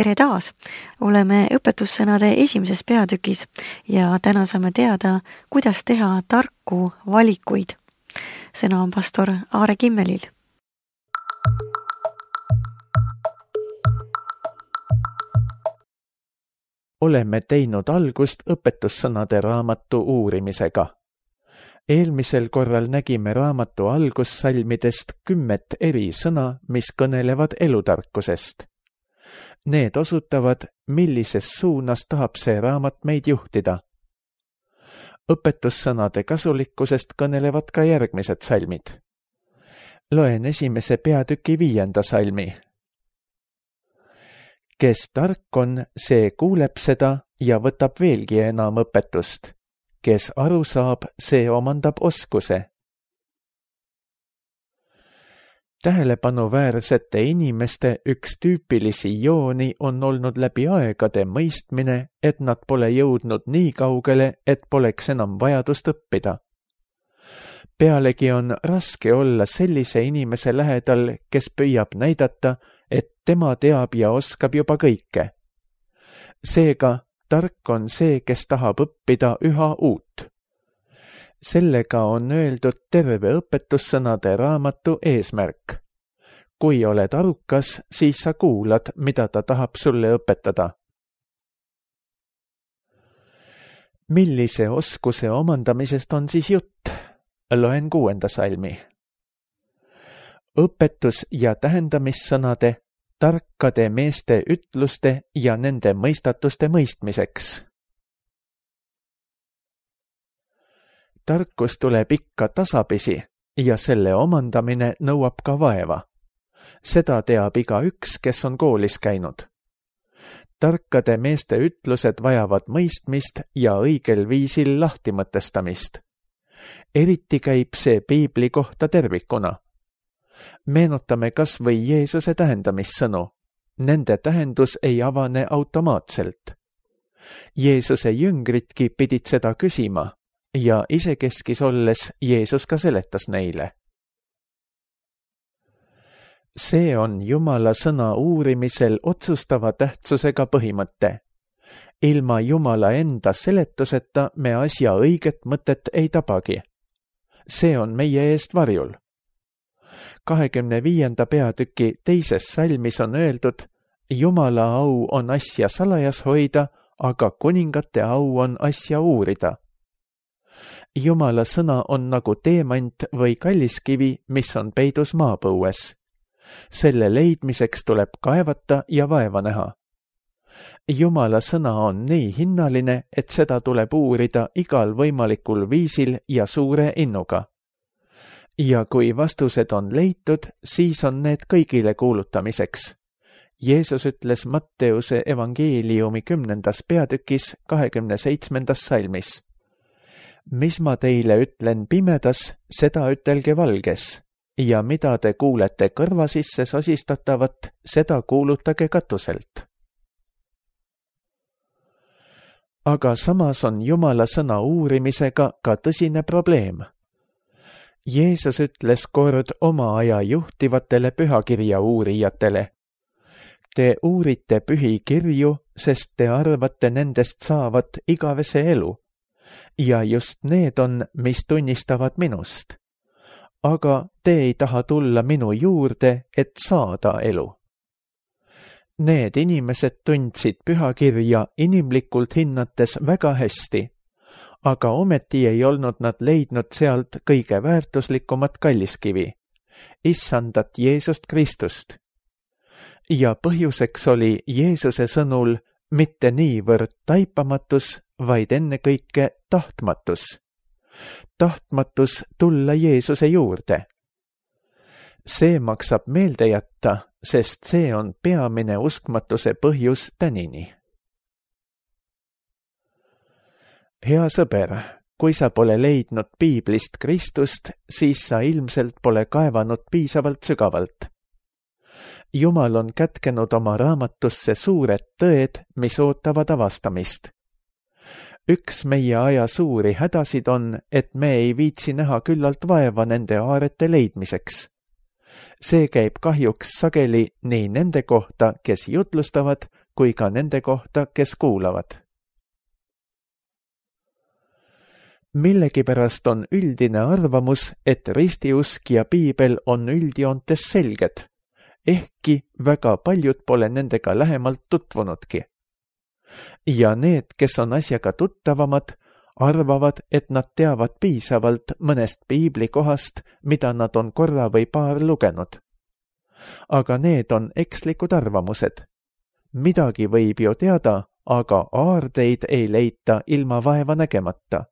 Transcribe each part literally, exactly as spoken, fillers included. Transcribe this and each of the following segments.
tere taas! Oleme õpetussõnade esimeses peatükis ja täna saame teada, kuidas teha tarku valikuid. Sõna on pastor Aare Kimmelil. Oleme teinud algust õpetussõnade raamatu uurimisega. Eelmisel korral nägime raamatu algussalmidest kümmet eri sõna, mis kõnelevad elutarkusest. Need osutavad, millises suunas tahab see raamat meid juhtida. Õpetussõnade kasulikkusest kõnelevad ka järgmised salmid. Loen esimese peatüki viienda salmi. Kes tark on, see kuuleb seda ja võtab veelgi enam õpetust. Kes aru saab, see omandab oskuse. Tähelepanuväärsete inimeste üks tüüpilisi jooni on olnud läbi aegade mõistmine, et nad pole jõudnud nii kaugele, et poleks enam vajadust õppida. Pealegi on raske olla sellise inimese lähedal, kes püüab näidata, et tema teab ja oskab juba kõike. Seega, tark on see, kes tahab õppida üha uut. Sellega on öeldud terve õpetussõnade raamatu eesmärk. Kui oled arukas, siis sa kuulad, mida ta tahab sulle õpetada. Millise oskuse omandamisest on siis jutt? Loen kuuenda salmi. Õpetus ja tähendamissõnade, tarkade meeste ütluste ja nende mõistatuste mõistmiseks. Tarkus tuleb ikka tasapisi ja selle omandamine nõuab ka vaeva. Seda teab igaüks, kes on koolis käinud. Tarkade meeste ütlused vajavad mõistmist ja õigel viisil lahtimõtestamist. Eriti käib see piibli kohta tervikuna. Meenutame kas või Jeesuse tähendamissõnu. Nende tähendus ei avane automaatselt. Jeesuse jüngritki pidid seda küsima ja isekeskis olles Jeesus ka seletas neile. See on Jumala sõna uurimisel otsustava tähtsusega põhimõte. Ilma Jumala enda seletuseta me asja õiget mõtet ei tabagi. See on meie eest varjul. kahekümne viienda peatüki teises salmis on öeldud, Jumala au on asja salajas hoida, aga kuningate au on asja uurida. Jumala sõna on nagu teemant või kalliskivi, mis on peidus maapõues. Selle leidmiseks tuleb kaevata ja vaeva näha. Jumala sõna on nii hinnaline, et seda tuleb uurida igal võimalikul viisil ja suure innuga. Ja kui vastused on leitud, siis on need kõigile kuulutamiseks. Jeesus ütles Matteuse evangeeliumi kümnendas peatükis kahekümne seitsmendas salmis. Mis ma teile ütlen pimedas, seda ütelge valges, ja mida te kuulete kõrva sisse sosistatavat, seda kuulutage katuselt. Aga samas on Jumala sõna uurimisega ka tõsine probleem. Jeesus ütles kord oma aja juhtivatele pühakirja uurijatele. Te uurite pühi kirju, sest te arvate nendest saavat igavese elu. Ja just need on, mis tunnistavad minust. Aga te ei taha tulla minu juurde, et saada elu. Need inimesed tundsid pühakirja inimlikult hinnates väga hästi, aga ometi ei olnud nad leidnud sealt kõige väärtuslikumat kalliskivi, issandat Jeesust Kristust. Ja põhjuseks oli Jeesuse sõnul mitte niivõrd taipamatus, vaid ennekõike tahtmatus. Tahtmatus tulla Jeesuse juurde. See maksab meelde jätta, sest see on peamine uskmatuse põhjus tänini. Hea sõber, kui sa pole leidnud piiblist Kristust, siis sa ilmselt pole kaevanud piisavalt sügavalt. Jumal on kätkenud oma raamatusse suured tõed, mis ootavad avastamist. Üks meie aja suuri hädasid on, et me ei viitsi näha küllalt vaeva nende aarete leidmiseks. See käib kahjuks sageli nii nende kohta, kes jutlustavad, kui ka nende kohta, kes kuulavad. Millegipärast on üldine arvamus, et ristiusk ja piibel on üldjoontes selged, ehkki väga paljud pole nendega lähemalt tutvunudki. Ja need, kes on asjaga tuttavamad, arvavad, et nad teavad piisavalt mõnest piiblikohast, mida nad on korra või paar lugenud. Aga need on ekslikud arvamused. Midagi võib ju teada, aga aardeid ei leita ilma vaeva nägemata.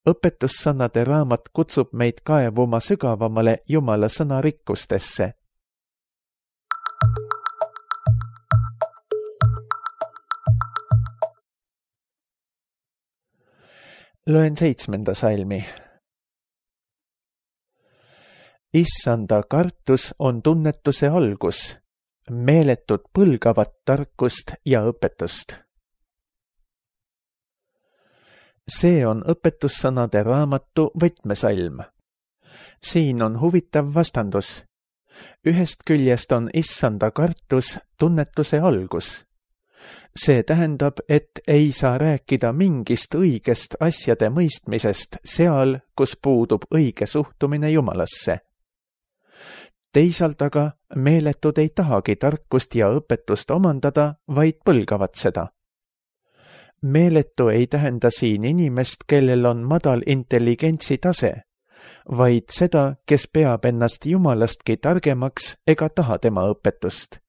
Õpetussõnade raamat kutsub meid kaevuma sügavamale Jumala sõna rikkustesse. Loen seitsmenda salmi. Issanda kartus on tunnetuse algus, meeletud põlgavat tarkust ja õpetust. See on õpetussõnade raamatu võtmesalm. Siin on huvitav vastandus. Ühest küljest on issanda kartus tunnetuse algus. See tähendab, et ei saa rääkida mingist õigest asjade mõistmisest seal, kus puudub õige suhtumine Jumalasse. Teisalt aga meeletud ei tahagi tarkust ja õpetust omandada, vaid põlgavad seda. Meeletu ei tähenda siin inimest, kellel on madal intelligentsi tase, vaid seda, kes peab ennast Jumalastki targemaks ega taha tema õpetust.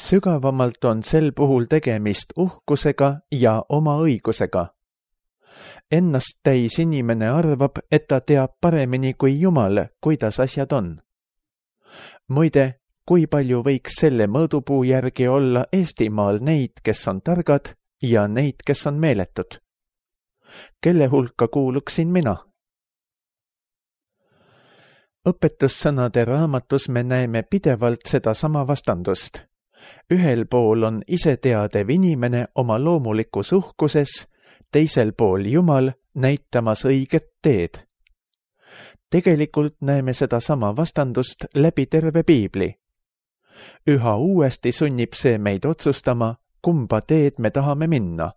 Sügavamalt on sel puhul tegemist uhkusega ja oma õigusega. Ennast täis inimene arvab, et ta teab paremini kui Jumal, kuidas asjad on. Muide, kui palju võiks selle mõõdupuu järgi olla Eestimaal neid, kes on targad ja neid, kes on meeletud? Kelle hulka kuuluksin mina? Õpetussõnade raamatus me näeme pidevalt seda sama vastandust. Ühel pool on iseteadev inimene oma loomulikus uhkuses, teisel pool Jumal näitamas õiget teed. Tegelikult näeme seda sama vastandust läbi terve piibli. Üha uuesti sunnib see meid otsustama, kumba teed me tahame minna.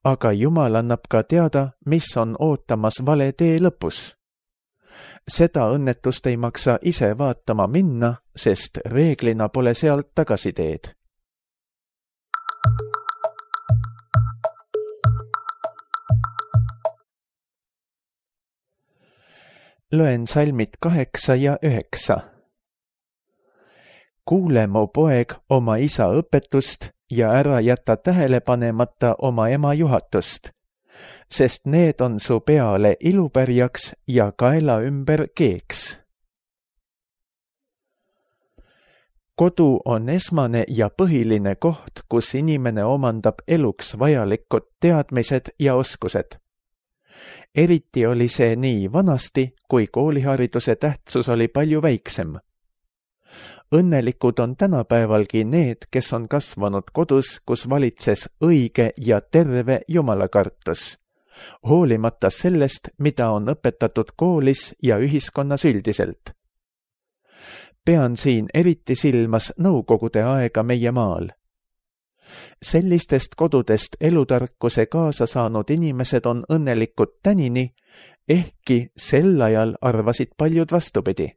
Aga Jumal annab ka teada, mis on ootamas vale tee lõpus. Seda õnnetust ei maksa ise vaatama minna, sest reeglina pole sealt tagasiteed. Loen salmid kaheksa ja üheksa. Kuule, mu poeg, oma isa õpetust ja ära jäta tähele panemata oma ema juhatust, sest need on su peale ilupärjaks ja kaela ümber keeks. Kodu on esmane ja põhiline koht, kus inimene omandab eluks vajalikud teadmised ja oskused. Eriti oli see nii vanasti, kui koolihariduse tähtsus oli palju väiksem. Õnnelikud on tänapäevalgi need, kes on kasvanud kodus, kus valitses õige ja terve jumalakartus, hoolimata sellest, mida on õpetatud koolis ja ühiskonnas üldiselt. Pean siin eriti silmas nõukogude aega meie maal. Sellistest kodudest elutarkuse kaasa saanud inimesed on õnnelikud tänini, ehkki sel ajal arvasid paljud vastupidi.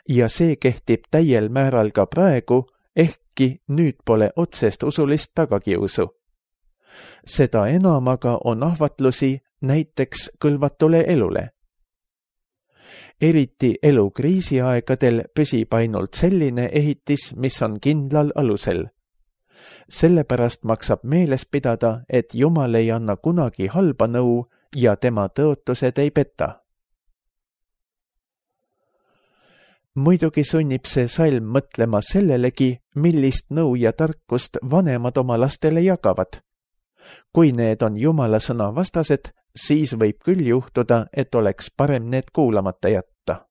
Ja see kehtib täiel määral ka praegu, ehkki nüüd pole otsest usulist tagakiusu. Seda enam aga on ahvatlusi näiteks kõlvatule elule. Eriti elukriisiaegadel püsib ainult selline ehitis, mis on kindlal alusel. Sellepärast maksab meeles pidada, et Jumal ei anna kunagi halba nõu ja tema tõotused ei peta. Muidugi sunnib see salm mõtlema sellelegi, millist nõu ja tarkust vanemad oma lastele jagavad. Kui need on Jumala sõna vastased, siis võib küll juhtuda, et oleks parem need kuulamata jätta.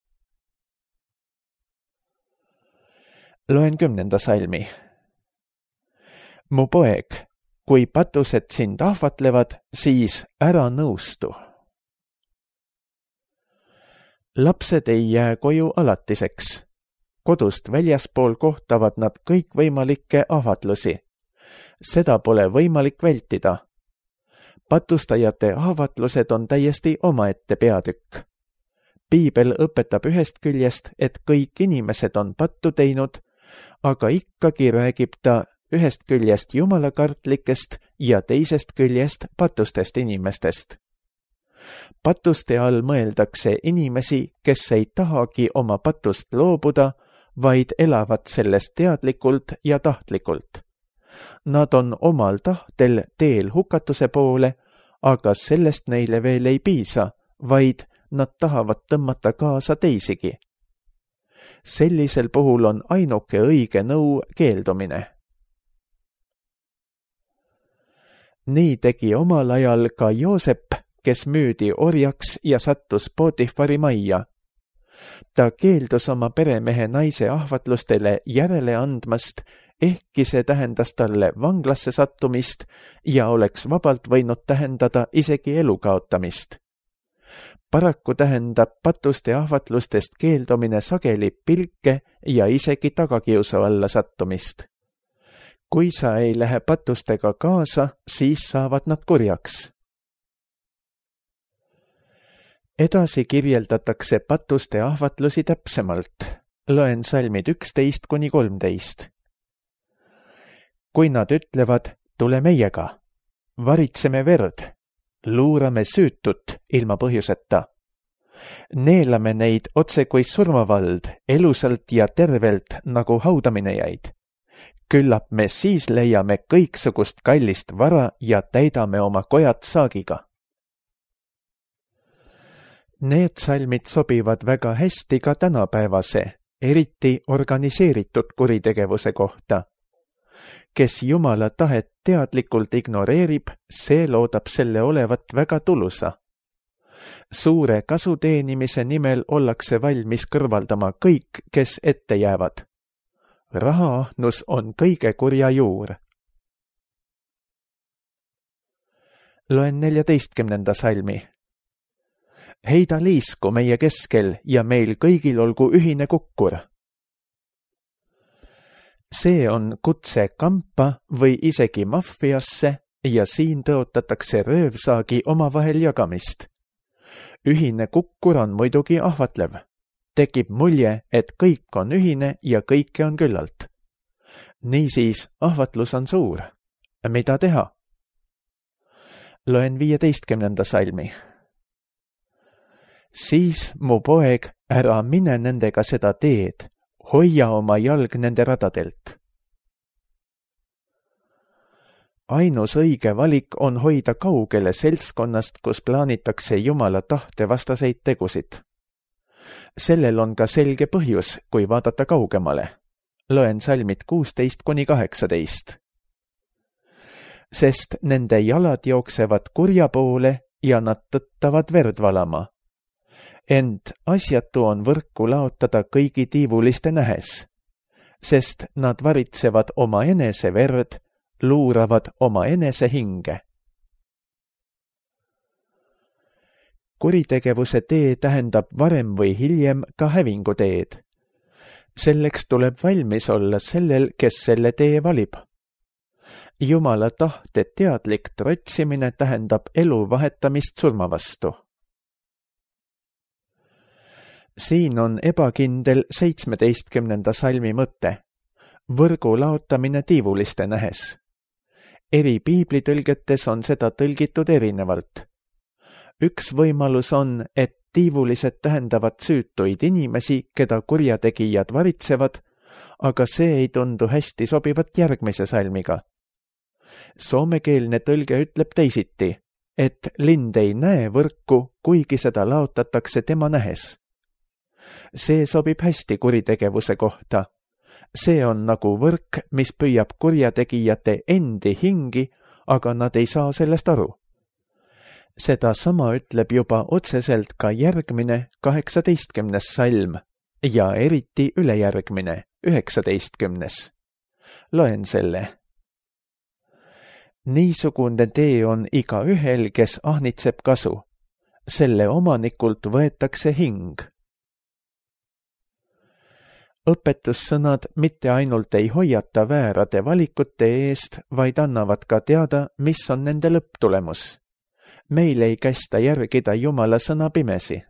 Loen kümnenda salmi. Mu poeg, kui patused sind ahvatlevad, siis ära nõustu. Lapsed ei jää koju alatiseks. kodust väljaspool kohtavad nad kõikvõimalikke ahvatlusi. Seda pole võimalik vältida. Patustajate ahvatlused on täiesti omaette peatükk. Piibel õpetab ühest küljest, et kõik inimesed on pattu teinud, aga ikkagi räägib ta ühest küljest jumalakartlikest ja teisest küljest patustest inimestest. Patuste all mõeldakse inimesi, kes ei tahagi oma patust loobuda, vaid elavad sellest teadlikult ja tahtlikult. Nad on omal tahtel teel hukatuse poole, aga sellest neile veel ei piisa, vaid nad tahavad tõmmata kaasa teisigi. Sellisel puhul on ainuke õige nõu keeldumine. Nii tegi omal ajal ka Joosep, kes müüdi orjaks ja sattus Potifari majja. Ta keeldus oma peremehe naise ahvatlustele järele andmast, ehkki see tähendas talle vanglasse sattumist ja oleks vabalt võinud tähendada isegi elu kaotamist. Paraku tähendab patuste ahvatlustest keeldumine sageli pilke ja isegi tagakiusu alla sattumist. Kui sa ei lähe patustega kaasa, siis saavad nad kurjaks. Edasi kirjeldatakse patuste ahvatlusi täpsemalt. Loen salmid üksteist kuni kolmteist. Kui nad ütlevad, tule meiega, varitseme verd, luurame süütut ilma põhjuseta. Neelame neid otse kui surmavald, elusalt ja tervelt nagu haudaminejaid. Küllap me siis leiame kõiksugust kallist vara ja täidame oma kojad saagiga. Need salmid sobivad väga hästi ka tänapäevase, eriti organiseeritud kuritegevuse kohta. Kes Jumala tahet teadlikult ignoreerib, see loodab selle olevat väga tulusa. Suure kasu teenimise nimel ollakse valmis kõrvaldama kõik, kes ette jäävad. Rahaahnus on kõige kurja juur. Loen neljateistkümnenda salmi. Heida liisku meie keskel ja meil kõigil olgu ühine kukkur. See on kutse kampa või isegi maffiasse ja siin tõotatakse röövsaagi omavahel jagamist. Ühine kukkur on muidugi ahvatlev. Tekib mulje, et kõik on ühine ja kõike on küllalt. Niisiis, ahvatlus on suur. Mida teha? Loen viieteistkümnenda salmi. Siis, mu poeg, ära mine nendega seda teed, hoia oma jalg nende radadelt. Ainus õige valik on hoida kaugele seltskonnast, kus plaanitakse Jumala tahte vastaseid tegusid. Sellel on ka selge põhjus, kui vaadata kaugemale. Loen salmid kuusteist kuni kaheksateist. Sest nende jalad jooksevad kurja poole ja nad tõttavad verd valama. Ent asjatu on võrku laotada kõigi tiivuliste nähes, sest nad varitsevad oma enese verd, luuravad oma enese hinge. Kuritegevuse tee tähendab varem või hiljem ka hävingu teed. Selleks tuleb valmis olla sellel, kes selle tee valib. Jumala tahte teadlik trotsimine tähendab elu vahetamist surma vastu. Siin on ebakindel seitsmeteistkümnenda salmi mõte. Võrgu laotamine tiivuliste nähes. Eri piiblitõlgetes on seda tõlgitud erinevalt. Üks võimalus on, et tiivulised tähendavad süütuid inimesi, keda kurjategijad varitsevad, aga see ei tundu hästi sobivat järgmise salmiga. Soomekeelne tõlge ütleb teisiti, et lind ei näe võrku, kuigi seda laotatakse tema nähes. See sobib hästi kuritegevuse kohta. See on nagu võrk, mis püüab kurjategijate endi hingi, aga nad ei saa sellest aru. Seda sama ütleb juba otseselt ka järgmine kaheksateistkümnes salm ja eriti ülejärgmine üheksateistkümnes. Loen selle. Niisugune tee on iga ühel, kes ahnitseb kasu. Selle omanikult võetakse hing. õpetussõnad mitte ainult ei hoiata väärade valikute eest, vaid annavad ka teada, mis on nende lõpptulemus. Meil ei kästa järgida Jumala sõna pimesi.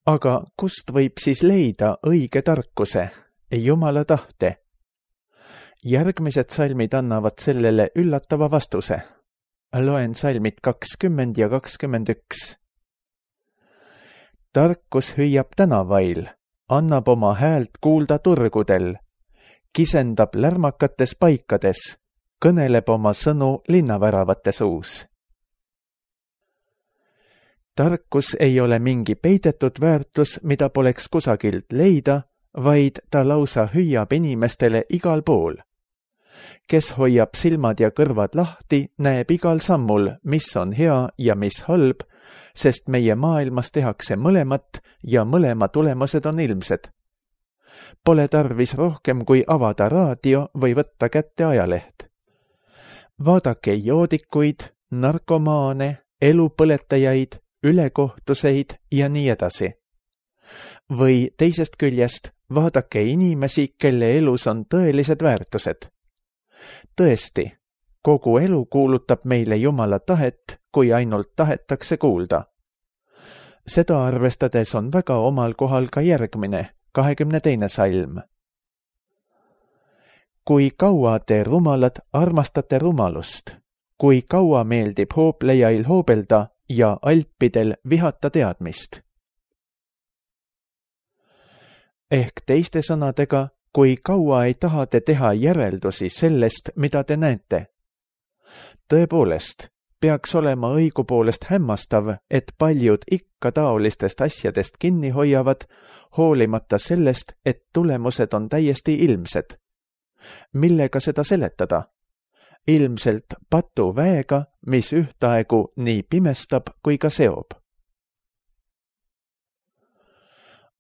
Aga kust võib siis leida õige tarkuse, Jumala tahte? Järgmised salmid annavad sellele üllatava vastuse. Loen salmid kakskümmend ja kakskümmend üks. Tarkus hüüab tänavail, annab oma häält kuulda turgudel, kisendab lärmakates paikades, kõneleb oma sõnu linnaväravate suus. Tarkus ei ole mingi peidetud väärtus, mida poleks kusagilt leida, vaid ta lausa hüüab inimestele igal pool. Kes hoiab silmad ja kõrvad lahti, näeb igal sammul, mis on hea ja mis halb, sest meie maailmas tehakse mõlemat ja mõlema tulemused on ilmsed. Pole tarvis rohkem kui avada raadio või võtta kätte ajaleht. Vaadake joodikuid, narkomaane, elupõletajaid, ülekohtuseid ja nii edasi. Või teisest küljest vaadake inimesi, kelle elus on tõelised väärtused. Tõesti, kogu elu kuulutab meile Jumala tahet, kui ainult tahetakse kuulda. Seda arvestades on väga omal kohal ka järgmine, kahekümne teine salm. Kui kaua te rumalad armastate rumalust, kui kaua meeldib hooplejail hoobelda ja alpidel vihata teadmist. Ehk teiste sõnadega, kui kaua ei taha te teha järeldusi sellest, mida te näete. Tõepoolest, peaks olema õigupoolest hämmastav, et paljud ikka taolistest asjadest kinni hoiavad, hoolimata sellest, et tulemused on täiesti ilmsed. Millega seda seletada? Ilmselt patu väega, mis ühtaegu nii pimestab kui ka seob.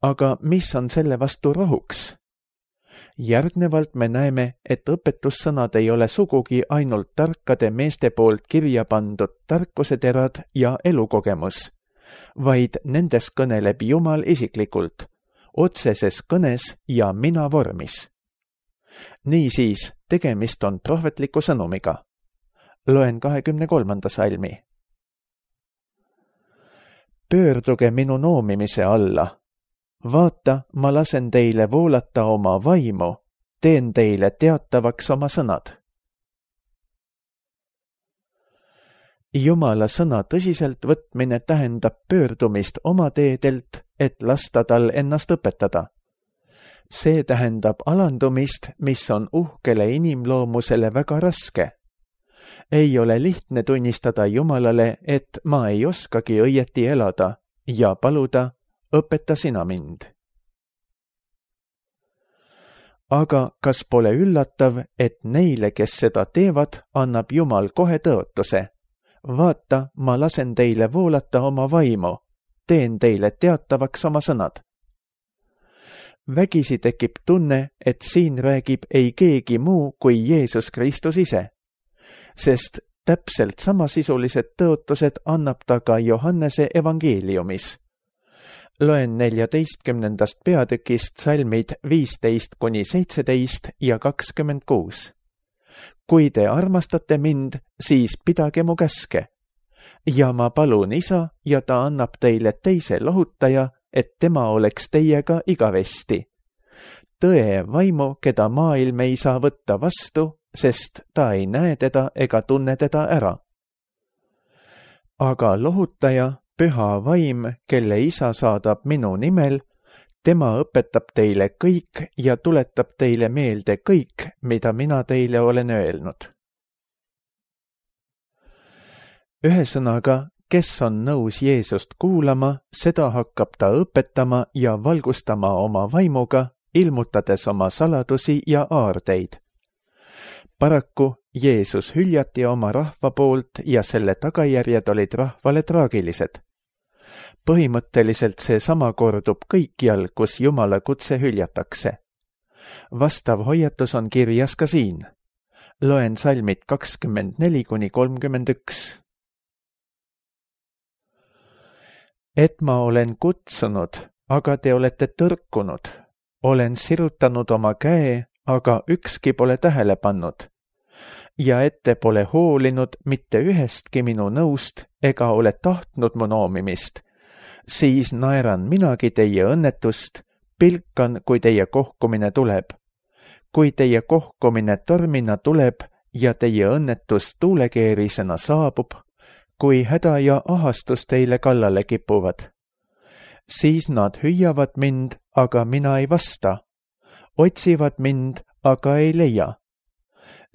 Aga mis on selle vastu rohuks? Järgnevalt me näeme, et õpetussõnad ei ole sugugi ainult tarkade meeste poolt kirja pandud tarkuseterad ja elukogemus, vaid nendes kõneleb Jumal isiklikult, otseses kõnes ja mina vormis. Niisiis, tegemist on prohvetliku sõnumiga. Loen kahekümne kolmanda salmi. Pöörduge minu noomimise alla. Vaata, ma lasen teile voolata oma vaimu, teen teile teatavaks oma sõnad. Jumala sõna tõsiselt võtmine tähendab pöördumist oma teedelt, et lasta tal ennast õpetada. See tähendab alandumist, mis on uhkele inimloomusele väga raske. Ei ole lihtne tunnistada Jumalale, et ma ei oskagi õieti elada ja paluda, õpeta sina mind. Aga kas pole üllatav, et neile, kes seda teevad, annab Jumal kohe tõotuse? Vaata, ma lasen teile voolata oma vaimu, teen teile teatavaks oma sõnad. Vägisi tekib tunne, et siin räägib ei keegi muu kui Jeesus Kristus ise, sest täpselt samasisulised tõotused annab ta ka Johannese evangeeliumis. Loen neljateistkümnendast peatükist salmid viisteist kuni seitseteist ja kakskümmend kuus. Kui te armastate mind, siis pidage mu käske. Ja ma palun isa ja ta annab teile teise lohutaja, et tema oleks teiega igavesti. Tõe vaimu, keda maailm ei saa võtta vastu, sest ta ei näe teda ega tunne teda ära. Aga lohutaja, püha vaim, kelle isa saadab minu nimel, tema õpetab teile kõik ja tuletab teile meelde kõik, mida mina teile olen öelnud. Ühesõnaga, kes on nõus Jeesust kuulama, seda hakkab ta õpetama ja valgustama oma vaimuga, ilmutades oma saladusi ja aardeid. Paraku Jeesus hüljati oma rahva poolt ja selle tagajärjed olid rahvale traagilised. Põhimõtteliselt see sama kordub kõikjal, kus Jumala kutse hüljatakse. Vastav hoiatus on kirjas ka siin. Loen salmid kakskümmend neli kuni kolmkümmend üks. et ma olen kutsunud, aga te olete tõrkunud. Olen sirutanud oma käe, aga ükski pole tähele pannud. Ja et te pole hoolinud mitte ühestki minu nõust ega ole tahtnud mu noomimist, siis naeran minagi teie õnnetust, pilkan, kui teie kohkumine tuleb. Kui teie kohkumine tormina tuleb ja teie õnnetus tuulekeerisena saabub, kui häda ja ahastus teile kallale kipuvad. Siis nad hüüavad mind, aga mina ei vasta. Otsivad mind, aga ei leia.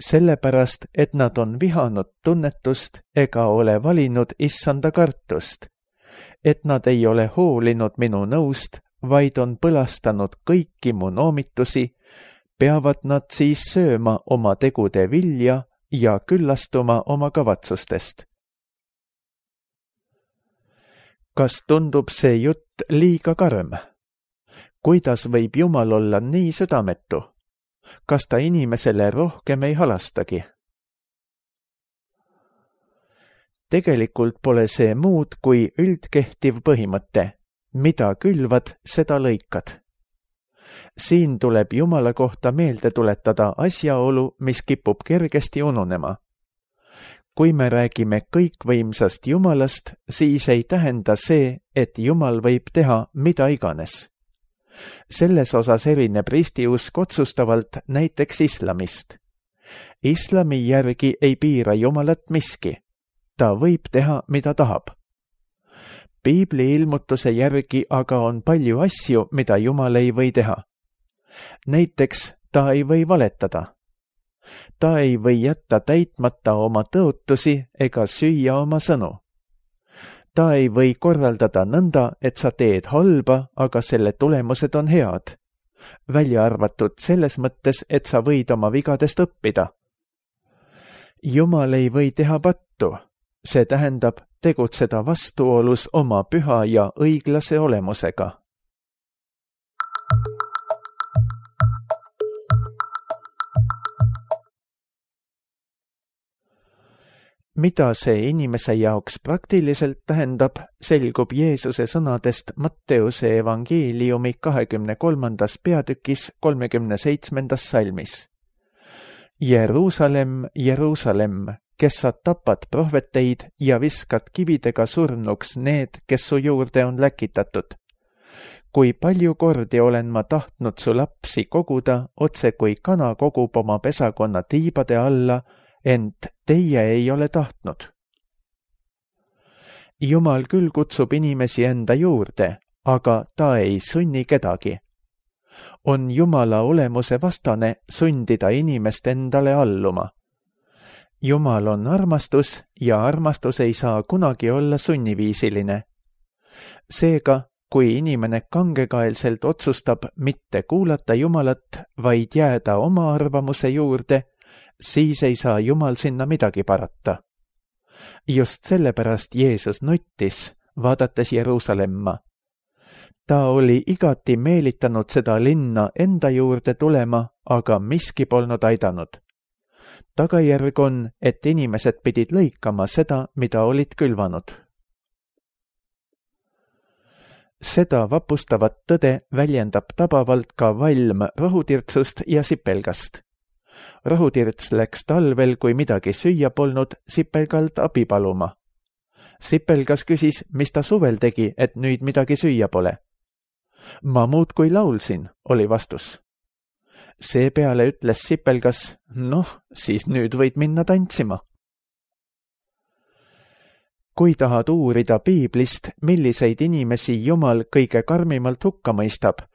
Sellepärast, et nad on vihanud tunnetust ega ole valinud issanda kartust. Et nad ei ole hoolinud minu nõust, vaid on põlastanud kõiki mu noomitusi, peavad nad siis sööma oma tegude vilja ja küllastuma oma kavatsustest. Kas tundub see jutt liiga karm? Kuidas võib Jumal olla nii südametu? Kas ta inimesele rohkem ei halastagi? Tegelikult pole see muud kui üldkehtiv põhimõte. Mida külvad, seda lõikad. Siin tuleb Jumala kohta meelde tuletada asjaolu, mis kipub kergesti ununema. Kui me räägime kõikvõimsast Jumalast, siis ei tähenda see, et Jumal võib teha mida iganes. Selles osas erineb ristiusk otsustavalt näiteks islamist. Islami järgi ei piira Jumalat miski. Ta võib teha, mida tahab. Piibli ilmutuse järgi aga on palju asju, mida Jumal ei või teha. Näiteks ta ei või valetada. Ta ei või jätta täitmata oma tõotusi ega süüa oma sõnu. Ta ei või korraldada nõnda, et sa teed halba, aga selle tulemused on head. Välja arvatud selles mõttes, et sa võid oma vigadest õppida. Jumal ei või teha pattu. See tähendab tegutseda vastuolus oma püha ja õiglase olemusega. Mida see inimese jaoks praktiliselt tähendab, selgub Jeesuse sõnadest Matteuse evangeeliumi kahekümne kolmandas peatükis kolmekümne seitsmendas salmis. Jeruusalemm, Jeruusalemm, kes sa tapad prohveteid ja viskad kividega surnuks need, kes su juurde on läkitatud. Kui palju kordi olen ma tahtnud su lapsi koguda, otse kui kana kogub oma pesakonna tiibade alla, ent teie ei ole tahtnud. Jumal küll kutsub inimesi enda juurde, aga ta ei sunni kedagi. On Jumala olemuse vastane sundida inimest endale alluma. Jumal on armastus ja armastus ei saa kunagi olla sunniviisiline. Seega, kui inimene kangekaelselt otsustab mitte kuulata Jumalat, vaid jääda oma arvamuse juurde, siis ei saa Jumal sinna midagi parata. Just sellepärast Jeesus nuttis, vaadates Jeruusalemma. Ta oli igati meelitanud seda linna enda juurde tulema, aga miski polnud aidanud. Tagajärg on, et inimesed pidid lõikama seda, mida olid külvanud. Seda vapustavat tõde väljendab tabavalt ka valm rohutirtsust ja sipelgast. Rohutirts läks talvel, kui midagi süüa polnud, sipelgalt abi paluma. Sipelgas küsis, mis ta suvel tegi, et nüüd midagi süüa pole. Ma muudkui laulsin, oli vastus. Seepeale ütles sipelgas, noh, siis nüüd võid minna tantsima. Kui tahad uurida piiblist, milliseid inimesi Jumal kõige karmimalt hukka mõistab,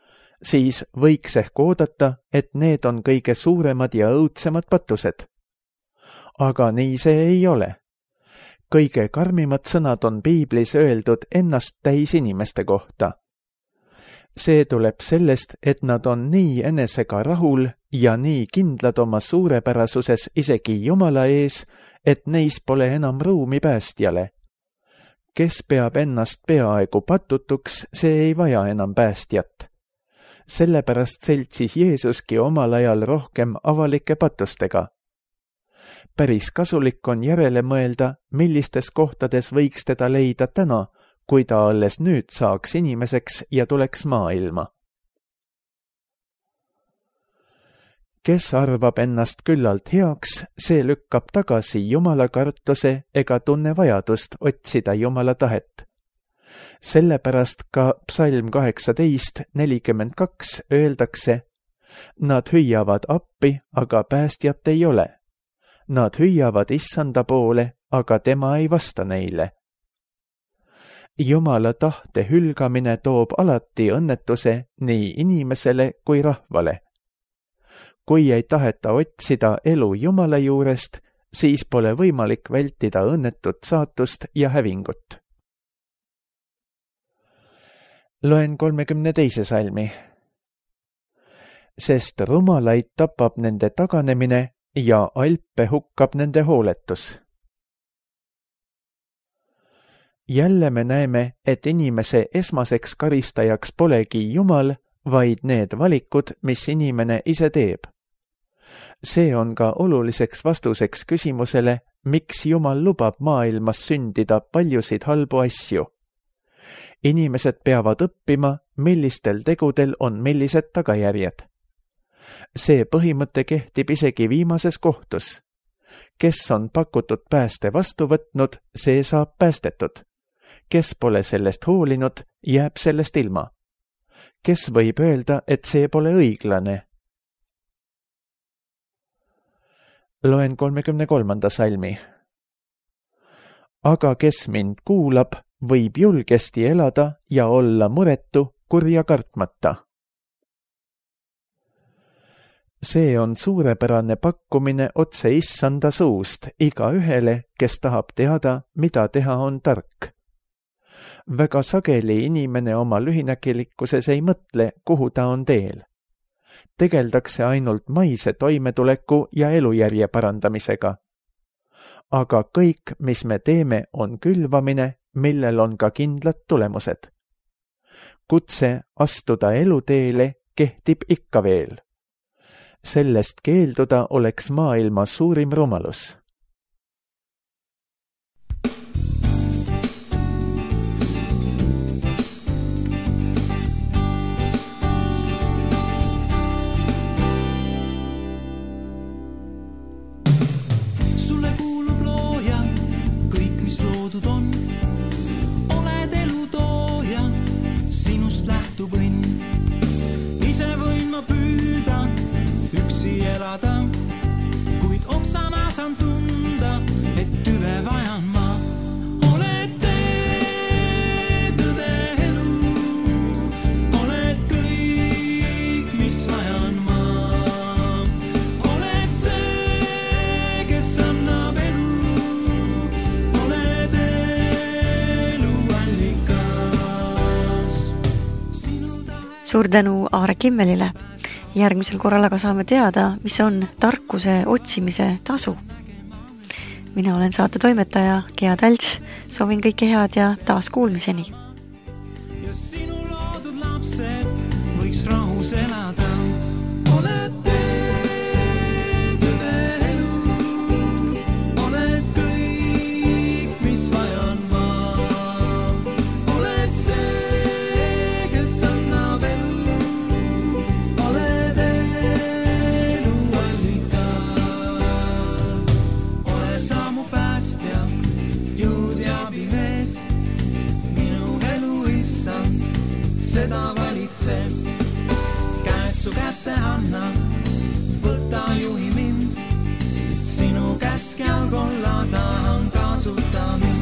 siis võiks ehk oodata, et need on kõige suuremad ja õudsemad patused. Aga nii see ei ole. Kõige karmimad sõnad on piiblis öeldud ennast täis inimeste kohta. See tuleb sellest, et nad on nii enesega rahul ja nii kindlad oma suurepärasuses isegi Jumala ees, et neis pole enam ruumi päästjale. Kes peab ennast peaaegu patutuks, see ei vaja enam päästjat. Sellepärast seltsis Jeesuski omal ajal rohkem avalike patustega. Päris kasulik on järele mõelda, millistes kohtades võiks teda leida täna, kui ta alles nüüd saaks inimeseks ja tuleks maailma. Kes arvab ennast küllalt heaks, see lükkab tagasi Jumala kartuse ega tunne vajadust otsida Jumala tahet. Sellepärast ka psalm kaheksateist nelikümmend kaks öeldakse: nad hüüavad appi, aga päästjat ei ole. Nad hüüavad issanda poole, aga tema ei vasta neile. Jumala tahte hülgamine toob alati õnnetuse nii inimesele kui rahvale. Kui ei taheta otsida elu Jumala juurest, siis pole võimalik vältida õnnetut saatust ja hävingut. Loen kolmekümne teise salmi. Sest rumalaid tapab nende taganemine ja alpe hukkab nende hooletus. Jälle me näeme, et inimese esmaseks karistajaks polegi Jumal, vaid need valikud, mis inimene ise teeb. See on ka oluliseks vastuseks küsimusele, miks Jumal lubab maailmas sündida paljusid halbu asju. Inimesed peavad õppima, millistel tegudel on millised tagajärjed. See põhimõte kehtib isegi viimases kohtus. Kes on pakutud pääste vastu võtnud, see saab päästetud. Kes pole sellest hoolinud, jääb sellest ilma. Kes võib öelda, et see pole õiglane? Loen kolmekümne kolmanda salmi. Aga kes mind kuulab, võib julgesti elada ja olla muretu, kurja kartmata. See on suurepärane pakkumine otse issanda suust iga ühele, kes tahab teada, mida teha on tark. Väga sageli inimene oma lühinägelikkuses ei mõtle, kuhu ta on teel. Tegeldakse ainult maise toimetuleku ja elujärje parandamisega. Aga kõik, mis me teeme, on külvamine, millel on ka kindlad tulemused. Kutse astuda eluteele kehtib ikka veel. Sellest keelduda oleks maailma suurim rumalus. Sulle kuulub looja, kõik mis loodud on. Oled elutooja, sinust lähtub õnn. Ise võin ma püüda üksi elada, kuid oksana saan tunda, et tüve vajan ma. Oled tee, tõde elu, oled kõik, mis vajan ma. Oled see, kes annab elu, oled elu allikas. Suur tänu Aare Kimmelile. Järgmisel korral aga saame teada, mis on tarkuse otsimise tasu. Mina olen saate toimetaja Gea Tälts, soovin kõike head ja taas kuulmiseni. Ja sinu loodud lapsed võiks rahus elada. Oled tee, tõde elu, oled kõik, mis vajan ma. Oled see, kes annab elu. Seda valitseb, käed su kätte anna, võta juhi mind, sinu käskjal kolla tahan kasuta mind.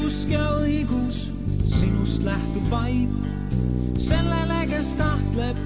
Usk ja õigus sinust lähtub vaid sellele, kes kahtleb